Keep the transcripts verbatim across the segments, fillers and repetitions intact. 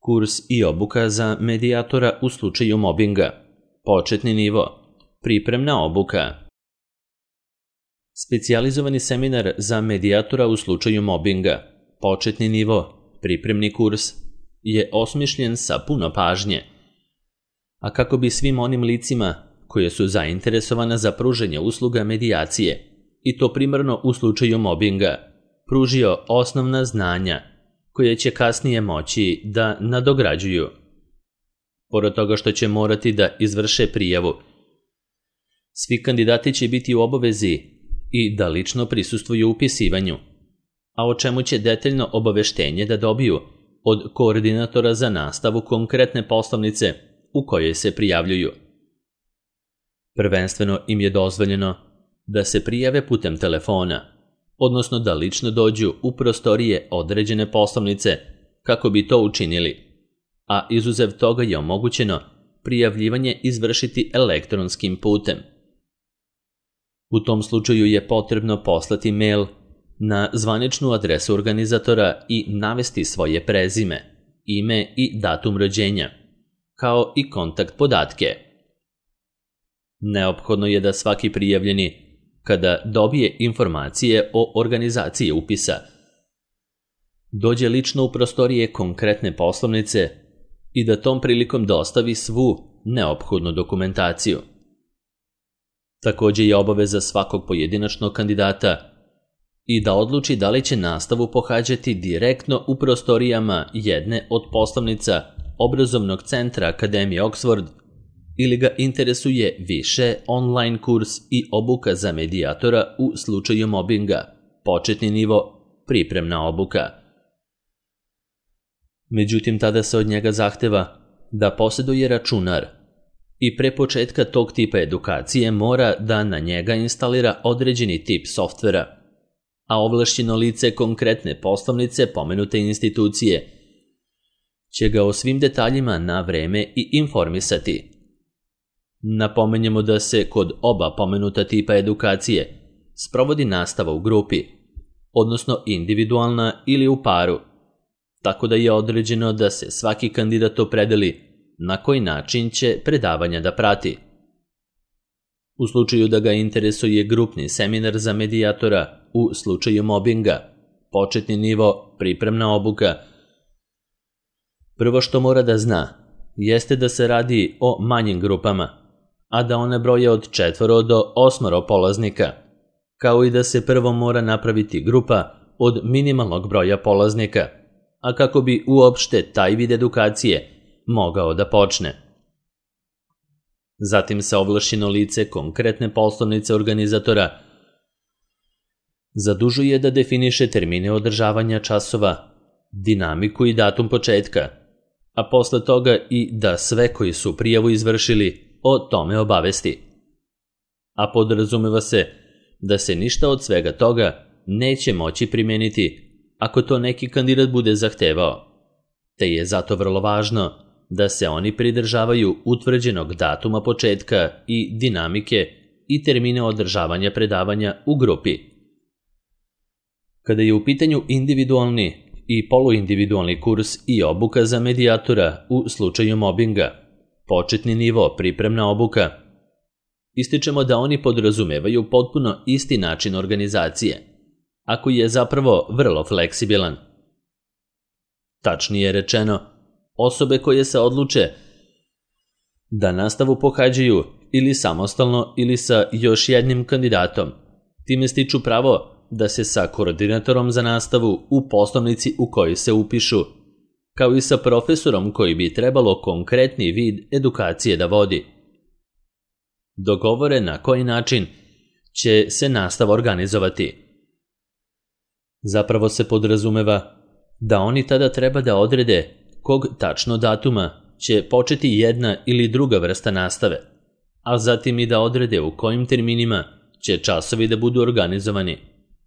Kurs i obuka za medijatora u slučaju mobinga. Početni nivo. Pripremna obuka. Specijalizovani seminar za medijatora u slučaju mobinga. Početni nivo. Pripremni kurs je osmišljen sa puno pažnje, a kako bi svim onim licima koje su zainteresovana za pružanje usluga medijacije, i to primarno u slučaju mobinga, pružio osnovna znanja koje će kasnije moći da nadograđuju. Pored toga što će morati da izvrše prijavu, svi kandidati će biti u obavezi i da lično prisustvuju upisivanju, a o čemu će detaljno obaveštenje da dobiju od koordinatora za nastavu konkretne poslovnice u kojoj se prijavljuju. Prvenstveno im je dozvoljeno da se prijave putem telefona, odnosno da lično dođu u prostorije određene poslovnice kako bi to učinili, a izuzev toga je omogućeno prijavljivanje izvršiti elektronskim putem. U tom slučaju je potrebno poslati mail na zvaničnu adresu organizatora i navesti svoje prezime, ime i datum rođenja, kao i kontakt podatke. Neophodno je da svaki prijavljeni, kada dobije informacije o organizaciji upisa, dođe lično u prostorije konkretne poslovnice i da tom prilikom dostavi svu neophodnu dokumentaciju. Također je obaveza svakog pojedinačnog kandidata i da odluči da li će nastavu pohađati direktno u prostorijama jedne od poslovnica obrazovnog centra Akademije Oxford ili ga interesuje više online kurs i obuka za medijatora u slučaju mobinga, početni nivo, pripremna obuka. Međutim, tada se od njega zahteva da posjeduje računar i pre početka tog tipa edukacije mora da na njega instalira određeni tip softvera, a ovlašćeno lice konkretne poslovnice pomenute institucije će ga o svim detaljima na vreme i informisati. Napomenjemo da se kod oba pomenuta tipa edukacije sprovodi nastava u grupi, odnosno individualna ili u paru, tako da je određeno da se svaki kandidat opredeli na koji način će predavanja da prati. U slučaju da ga interesuje grupni seminar za medijatora u slučaju mobinga, početni nivo, pripremna obuka, prvo što mora da zna jeste da se radi o manjim grupama, a da one broje od četvoro do osmoro polaznika, kao i da se prvo mora napraviti grupa od minimalnog broja polaznika, a kako bi uopšte taj vid edukacije mogao da počne. Zatim se ovlašćeno lice konkretne poslovnice organizatora zadužuje da definiše termine održavanja časova, dinamiku i datum početka, a posle toga i da sve koji su prijavu izvršili o tome obavesti. A podrazumeva se da se ništa od svega toga neće moći primeniti ako to neki kandidat bude zahtevao, te je zato vrlo važno da se oni pridržavaju utvrđenog datuma početka i dinamike i termine održavanja predavanja u grupi. Kada je u pitanju individualni i poluindividualni kurs i obuka za medijatora u slučaju mobinga, početni nivo, pripremna obuka, ističemo da oni podrazumevaju potpuno isti način organizacije, a koji je zapravo vrlo fleksibilan. Tačnije rečeno, osobe koje se odluče da nastavu pohađaju ili samostalno ili sa još jednim kandidatom, time stiču pravo da se sa koordinatorom za nastavu u poslovnici u kojoj se upišu, kao i sa profesorom koji bi trebalo konkretni vid edukacije da vodi, dogovore na koji način će se nastava organizovati. Zapravo se podrazumeva da oni tada treba da odrede kog tačno datuma će početi jedna ili druga vrsta nastave, a zatim i da odrede u kojim terminima će časovi da budu organizovani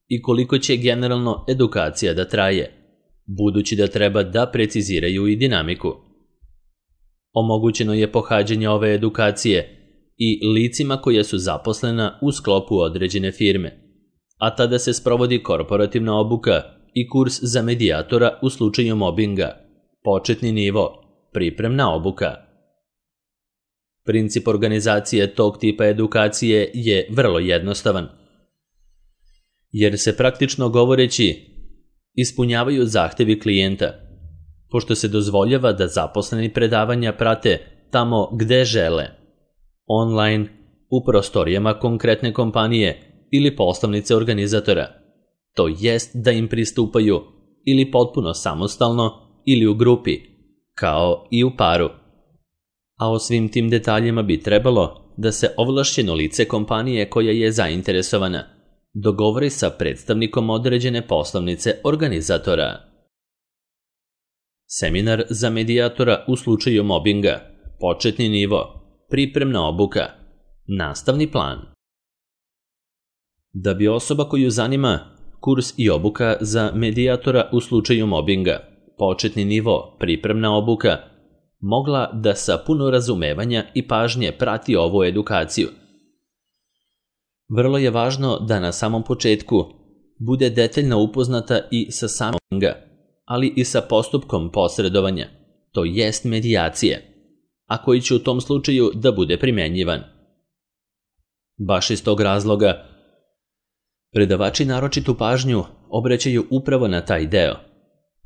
i koliko će generalno edukacija da traje, budući da treba da preciziraju i dinamiku. Omogućeno je pohađanje ove edukacije i licima koje su zaposlena u sklopu određene firme, a tada se sprovodi korporativna obuka i kurs za medijatora u slučaju mobinga, Početni nivo, pripremna obuka. Princip organizacije tog tipa edukacije je vrlo jednostavan, jer se praktično govoreći ispunjavaju zahtevi klijenta, pošto se dozvoljava da zaposleni predavanja prate tamo gde žele, online, u prostorijama konkretne kompanije ili poslovnice organizatora, to jest da im pristupaju ili potpuno samostalno ili u grupi, kao i u paru. A o svim tim detaljima bi trebalo da se ovlašćeno lice kompanije koja je zainteresovana dogovori sa predstavnikom određene poslovnice organizatora. Seminar za medijatora u slučaju mobinga, početni nivo, pripremna obuka, nastavni plan. Da bi osoba koju zanima kurs i obuka za medijatora u slučaju mobinga, početni nivo, pripremna obuka, mogla da sa puno razumevanja i pažnje prati ovu edukaciju. Vrlo je važno da na samom početku bude detaljno upoznata i sa samom mobinga, ali i sa postupkom posredovanja, to jest medijacije, a koji će u tom slučaju da bude primenjivan. Baš iz tog razloga, predavači naročitu pažnju obraćaju upravo na taj deo,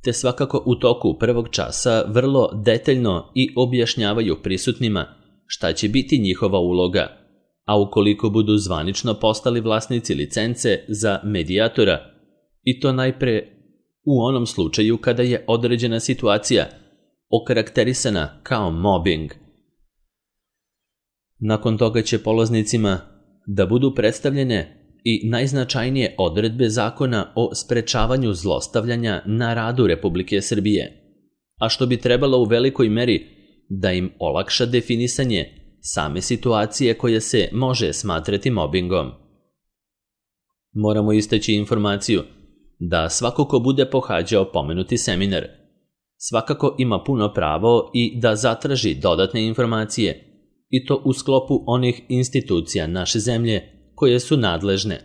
te svakako u toku prvog časa vrlo detaljno i objašnjavaju prisutnima šta će biti njihova uloga, a ukoliko budu zvanično postali vlasnici licence za medijatora, i to najpre u onom slučaju kada je određena situacija okarakterisana kao mobbing. Nakon toga će polaznicima da budu predstavljene i najznačajnije odredbe Zakona o sprečavanju zlostavljanja na radu Republike Srbije, a što bi trebalo u velikoj meri da im olakša definisanje same situacije koja se može smatrati mobingom. Moramo istaći informaciju da svako ko bude pohađao pomenuti seminar svakako ima puno pravo i da zatraži dodatne informacije, i to u sklopu onih institucija naše zemlje koje su nadležne,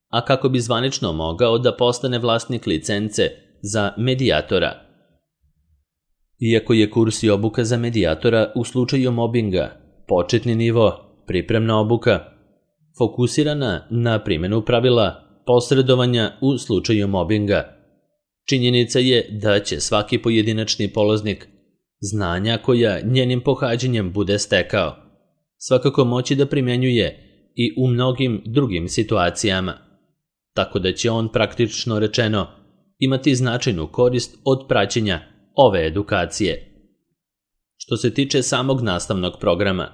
a kako bi zvanično mogao da postane vlasnik licence za medijatora. Iako je kurs i obuka za medijatora u slučaju mobinga, početni nivo, pripremna obuka, fokusirana na primjenu pravila posredovanja u slučaju mobinga, činjenica je da će svaki pojedinačni polaznik znanja koja njenim pohađanjem bude stekao svakako moći da primjenjuje i u mnogim drugim situacijama, tako da će on praktično rečeno imati značajnu korist od praćenja ove edukacije. Što se tiče samog nastavnog programa,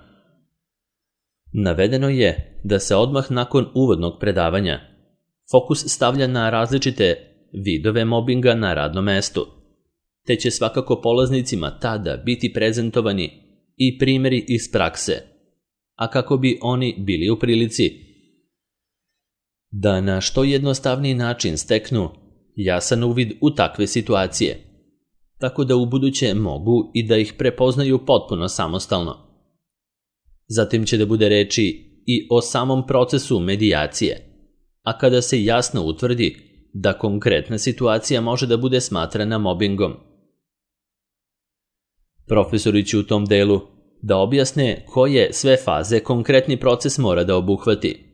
navedeno je da se odmah nakon uvodnog predavanja fokus stavlja na različite vidove mobinga na radnom mestu, te će svakako polaznicima tada biti prezentovani i primjeri iz prakse, a kako bi oni bili u prilici da na što jednostavniji način steknu jasan uvid u takve situacije, tako da ubuduće mogu i da ih prepoznaju potpuno samostalno. Zatim će da bude reči i o samom procesu medijacije, a kada se jasno utvrdi da konkretna situacija može da bude smatrana mobingom. Profesori će u tom delu da objasne koje sve faze konkretni proces mora da obuhvati,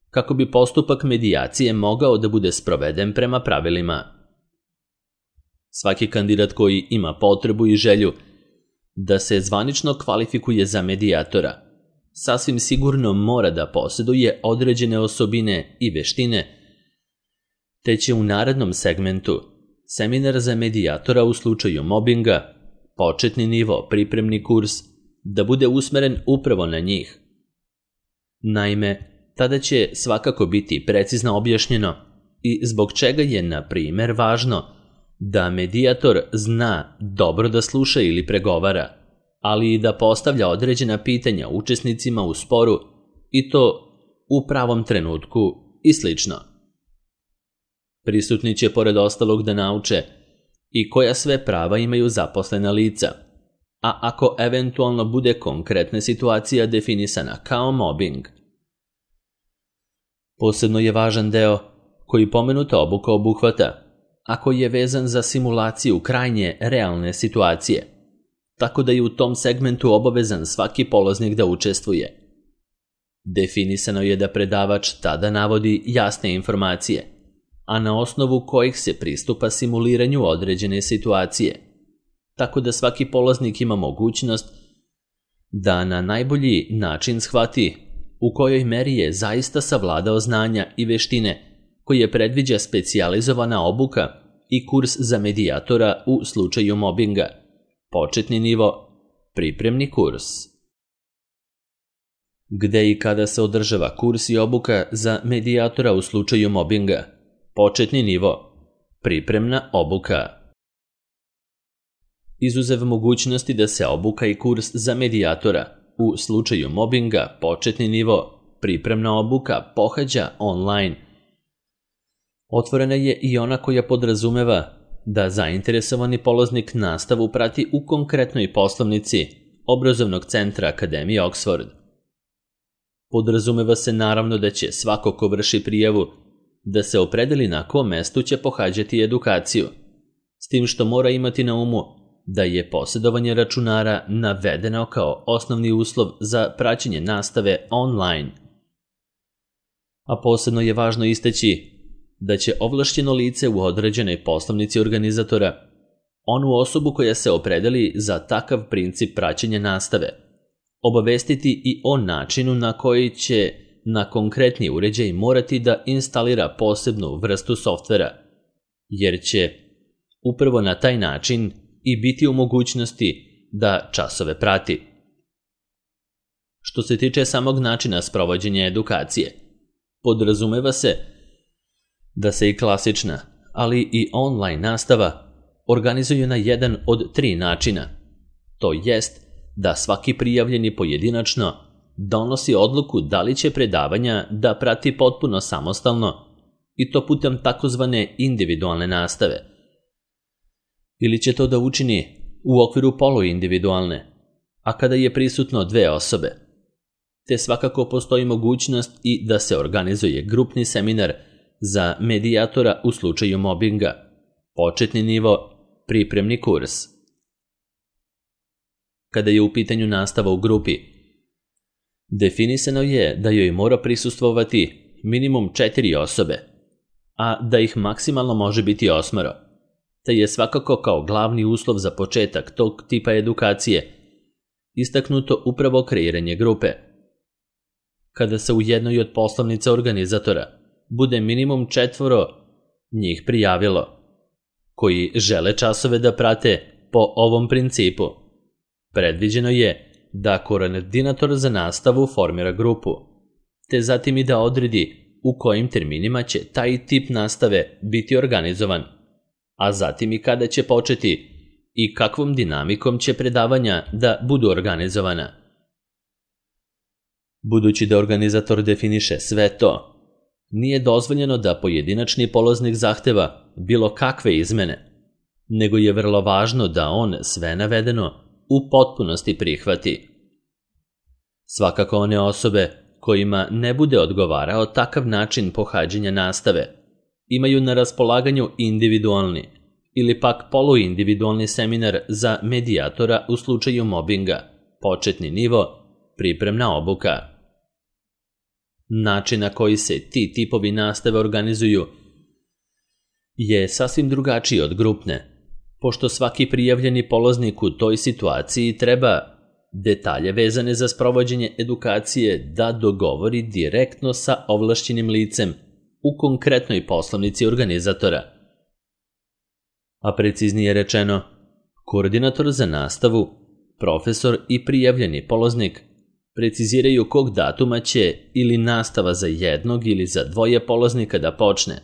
kako bi postupak medijacije mogao da bude sproveden prema pravilima. Svaki kandidat koji ima potrebu i želju da se zvanično kvalifikuje za medijatora, sasvim sigurno mora da posjeduje određene osobine i veštine, te će u narednom segmentu seminar za medijatora u slučaju mobinga, početni nivo, pripremni kurs, da bude usmeren upravo na njih. Naime, tada će svakako biti precizno objašnjeno i zbog čega je, na primjer, važno da medijator zna dobro da sluša ili pregovara, ali i da postavlja određena pitanja učesnicima u sporu, i to u pravom trenutku i slično. Prisutni će pored ostalog da nauče i koja sve prava imaju zaposlena lica, a ako eventualno bude konkretna situacija definisana kao mobbing. Posebno je važan deo koji pomenuta obuka obuhvata, ako je vezan za simulaciju krajnje realne situacije, tako da je u tom segmentu obavezan svaki polaznik da učestvuje. Definisano je da predavač tada navodi jasne informacije, a na osnovu kojih se pristupa simuliranju određene situacije, tako da svaki polaznik ima mogućnost da na najbolji način shvati u kojoj meri je zaista savladao znanja i veštine koje predviđa specijalizovana obuka i kurs za medijatora u slučaju mobinga, početni nivo, pripremni kurs. Gde i kada se održava kurs i obuka za medijatora u slučaju mobinga, početni nivo, pripremna obuka. Izuzev mogućnosti da se obuka i kurs za medijatora u slučaju mobinga, početni nivo, pripremna obuka pohađa online. Otvorena je i ona koja podrazumeva da zainteresovani polaznik nastavu prati u konkretnoj poslovnici obrazovnog centra Akademije Oxford. Podrazumeva se naravno da će svako ko vrši prijavu da se opredeli na kom mestu će pohađati edukaciju, s tim što mora imati na umu da je posjedovanje računara navedeno kao osnovni uslov za praćenje nastave online. A posebno je važno istaći da će ovlašćeno lice u određenoj poslovnici organizatora, onu osobu koja se opredeli za takav princip praćenja nastave, obavestiti i o načinu na koji će na konkretni uređaj morati da instalira posebnu vrstu softvera, jer će upravo na taj način i biti u mogućnosti da časove prati. Što se tiče samog načina sprovođenja edukacije, podrazumeva se da se i klasična, ali i online nastava organizuju na jedan od tri načina. To jest da svaki prijavljeni pojedinačno donosi odluku da li će predavanja da prati potpuno samostalno i to putem takozvane individualne nastave, ili će to da učini u okviru poluindividualne, a kada je prisutno dve osobe. Te svakako postoji mogućnost i da se organizuje grupni seminar za medijatora u slučaju mobinga, početni nivo, pripremni kurs. Kada je u pitanju nastava u grupi, definisano je da joj mora prisustvovati minimum četiri osobe, a da ih maksimalno može biti osmoro, te je svakako kao glavni uslov za početak tog tipa edukacije istaknuto upravo kreiranje grupe. Kada se u jednoj od poslovnica organizatora bude minimum četvoro njih prijavilo, koji žele časove da prate po ovom principu, predviđeno je da koordinator za nastavu formira grupu, te zatim i da odredi u kojim terminima će taj tip nastave biti organizovan, a zatim i kada će početi i kakvom dinamikom će predavanja da budu organizovana. Budući da organizator definiše sve to, nije dozvoljeno da pojedinačni polaznik zahteva bilo kakve izmene, nego je vrlo važno da on sve navedeno u potpunosti prihvati. Svakako one osobe kojima ne bude odgovarao takav način pohađanja nastave imaju na raspolaganju individualni ili pak poluindividualni seminar za medijatora u slučaju mobinga, početni nivo, pripremna obuka. Način na koji se ti tipovi nastave organizuju je sasvim drugačiji od grupne, pošto svaki prijavljeni polaznik u toj situaciji treba detalje vezane za sprovođenje edukacije da dogovori direktno sa ovlašćenim licem u konkretnoj poslovnici organizatora. A preciznije rečeno, koordinator za nastavu, profesor i prijavljeni polaznik preciziraju kog datuma će ili nastava za jednog ili za dvoje polaznika da počne,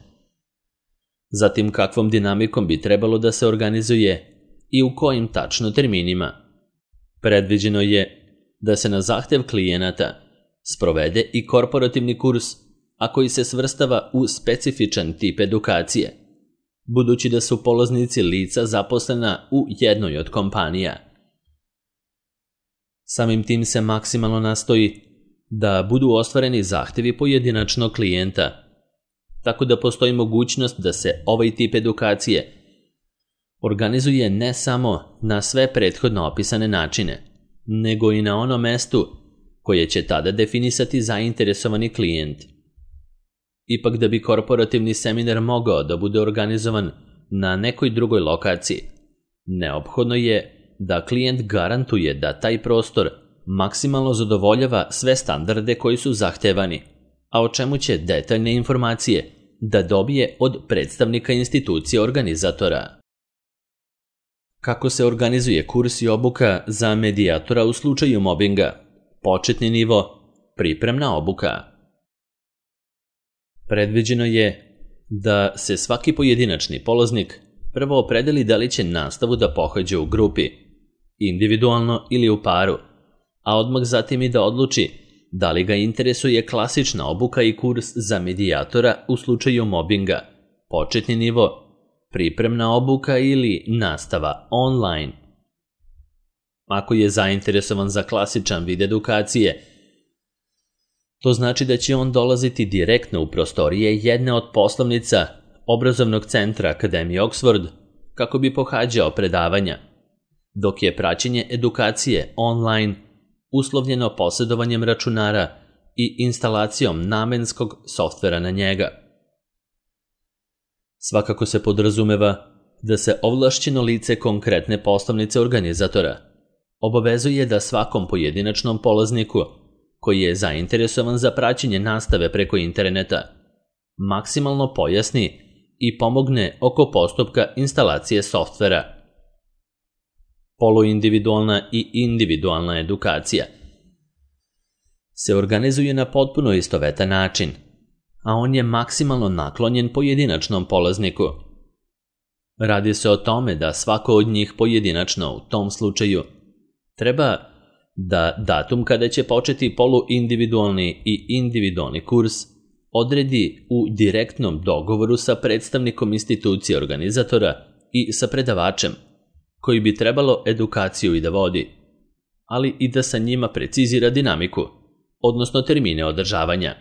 zatim kakvom dinamikom bi trebalo da se organizuje i u kojim tačno terminima. Predviđeno je da se na zahtev klijenata sprovede i korporativni kurs, a koji se svrstava u specifičan tip edukacije, budući da su polaznici lica zaposlena u jednoj od kompanija. Samim tim se maksimalno nastoji da budu ostvareni zahtevi pojedinačnog klijenta, tako da postoji mogućnost da se ovaj tip edukacije organizuje ne samo na sve prethodno opisane načine, nego i na onom mestu koje će tada definisati zainteresovani klijent. Ipak da bi korporativni seminar mogao da bude organizovan na nekoj drugoj lokaciji, neophodno je da klijent garantuje da taj prostor maksimalno zadovoljava sve standarde koji su zahtevani, a o čemu će detaljne informacije da dobije od predstavnika institucije organizatora. Kako se organizuje kurs i obuka za medijatora u slučaju mobinga? Početni nivo, pripremna obuka. Predviđeno je da se svaki pojedinačni polaznik prvo opredeli da li će nastavu da pohađa u grupi, individualno ili u paru, a odmah zatim i da odluči da li ga interesuje klasična obuka i kurs za medijatora u slučaju mobinga, početni nivo, pripremna obuka ili nastava online. Ako je zainteresovan za klasičan vid edukacije, to znači da će on dolaziti direktno u prostorije jedne od poslovnica obrazovnog centra Akademije Oxford kako bi pohađao predavanja, dok je praćenje edukacije online uslovljeno posjedovanjem računara i instalacijom namenskog softvera na njega. Svakako se podrazumeva da se ovlašćeno lice konkretne poslovnice organizatora obavezuje da svakom pojedinačnom polazniku koji je zainteresovan za praćenje nastave preko interneta maksimalno pojasni i pomogne oko postupka instalacije softvera. Poluindividualna i individualna edukacija se organizuje na potpuno istovetan način, a on je maksimalno naklonjen pojedinačnom polazniku. Radi se o tome da svako od njih pojedinačno u tom slučaju treba da datum kada će početi poluindividualni i individualni kurs odredi u direktnom dogovoru sa predstavnikom institucije organizatora i sa predavačem, koji bi trebalo edukaciju i da vodi, ali i da sa njima precizira dinamiku, odnosno termine održavanja.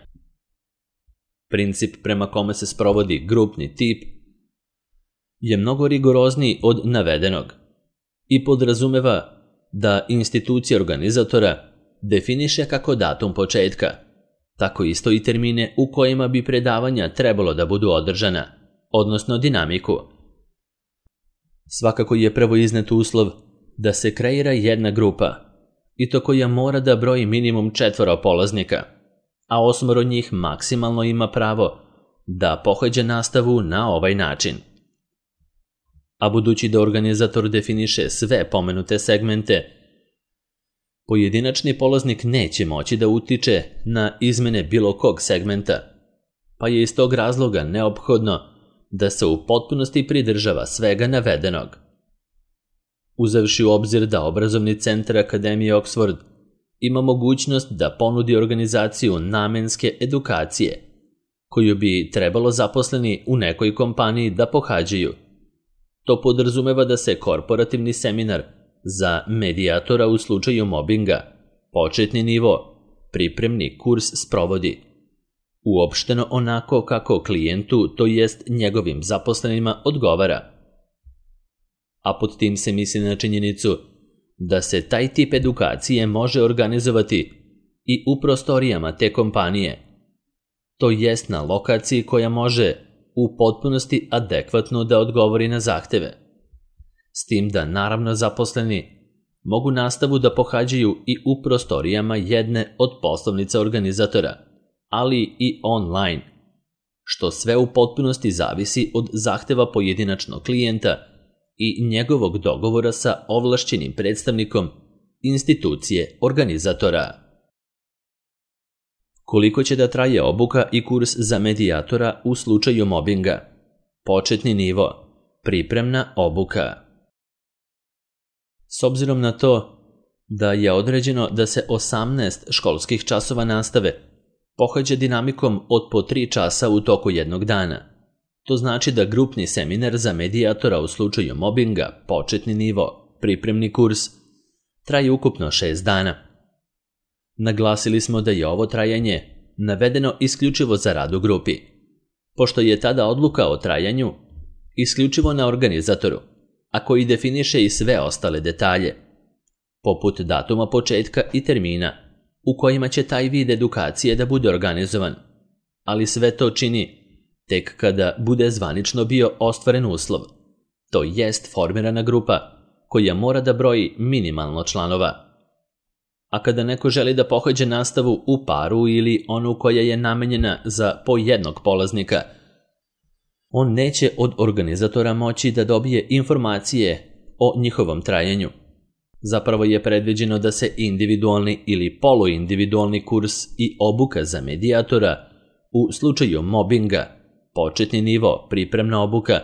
Princip prema kome se sprovodi grupni tip je mnogo rigorozniji od navedenog i podrazumeva da institucija organizatora definiše kako datum početka, tako isto i termine u kojima bi predavanja trebalo da budu održana, odnosno dinamiku. Svakako je prvo iznet uslov da se kreira jedna grupa, i to koja mora da broji minimum četvoro polaznika, a osmoro njih maksimalno ima pravo da pohađa nastavu na ovaj način. A budući da organizator definiše sve pomenute segmente, pojedinačni polaznik neće moći da utiče na izmene bilo kog segmenta, pa je iz tog razloga neophodno da se u potpunosti pridržava svega navedenog. Uzevši u obzir da obrazovni centar Akademije Oxford ima mogućnost da ponudi organizaciju namenske edukacije, koju bi trebalo zaposleni u nekoj kompaniji da pohađaju. To podrazumeva da se korporativni seminar za medijatora u slučaju mobinga, početni nivo, pripremni kurs sprovodi uopšteno onako kako klijentu, to jest njegovim zaposlenima, odgovara. A pod tim se misli na činjenicu da se taj tip edukacije može organizovati i u prostorijama te kompanije, to jest na lokaciji koja može u potpunosti adekvatno da odgovori na zahteve. S tim da naravno zaposleni mogu nastavu da pohađaju i u prostorijama jedne od poslovnica organizatora, ali i online, što sve u potpunosti zavisi od zahteva pojedinačnog klijenta i njegovog dogovora sa ovlašćenim predstavnikom institucije organizatora. Koliko će da traje obuka i kurs za medijatora u slučaju mobinga? Početni nivo, pripremna obuka. S obzirom na to da je određeno da se osamnaest školskih časova nastave pohađa dinamikom od po tri časa u toku jednog dana, to znači da grupni seminar za medijatora u slučaju mobinga, početni nivo, pripremni kurs, traje ukupno šest dana. Naglasili smo da je ovo trajanje navedeno isključivo za rad u grupi. pošto je tada odluka o trajanju isključivo na organizatoru, a koji definiše i sve ostale detalje, poput datuma početka i termina u kojima će taj vid edukacije da bude organizovan, ali sve to čini tek kada bude zvanično bio ostvaren uslov, to jest formirana grupa koja mora da broji minimalno članova. A kada neko želi da pohađa nastavu u paru ili onu koja je namenjena za po jednog polaznika, on neće od organizatora moći da dobije informacije o njihovom trajanju. Zapravo je predviđeno da se individualni ili poluindividualni kurs i obuka za medijatora u slučaju mobinga, početni nivo, pripremna obuka,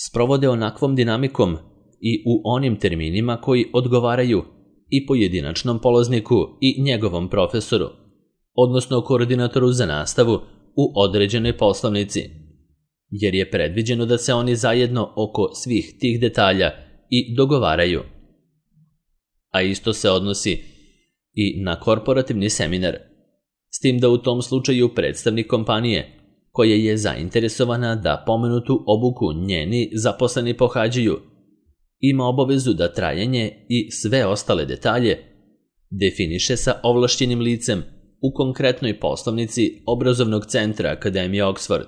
sprovode onakvom dinamikom i u onim terminima koji odgovaraju i pojedinačnom polazniku i njegovom profesoru, odnosno koordinatoru za nastavu u određenoj poslovnici, jer je predviđeno da se oni zajedno oko svih tih detalja i dogovaraju. A isto se odnosi i na korporativni seminar, s tim da u tom slučaju predstavnik kompanije, koja je zainteresovana da pomenutu obuku njeni zaposleni pohađaju, ima obavezu da trajanje i sve ostale detalje definiše sa ovlašćenim licem u konkretnoj poslovnici obrazovnog centra Akademije Oxford,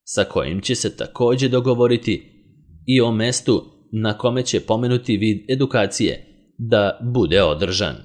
sa kojim će se također dogovoriti i o mestu na kome će pomenuti vid edukacije da bude održan.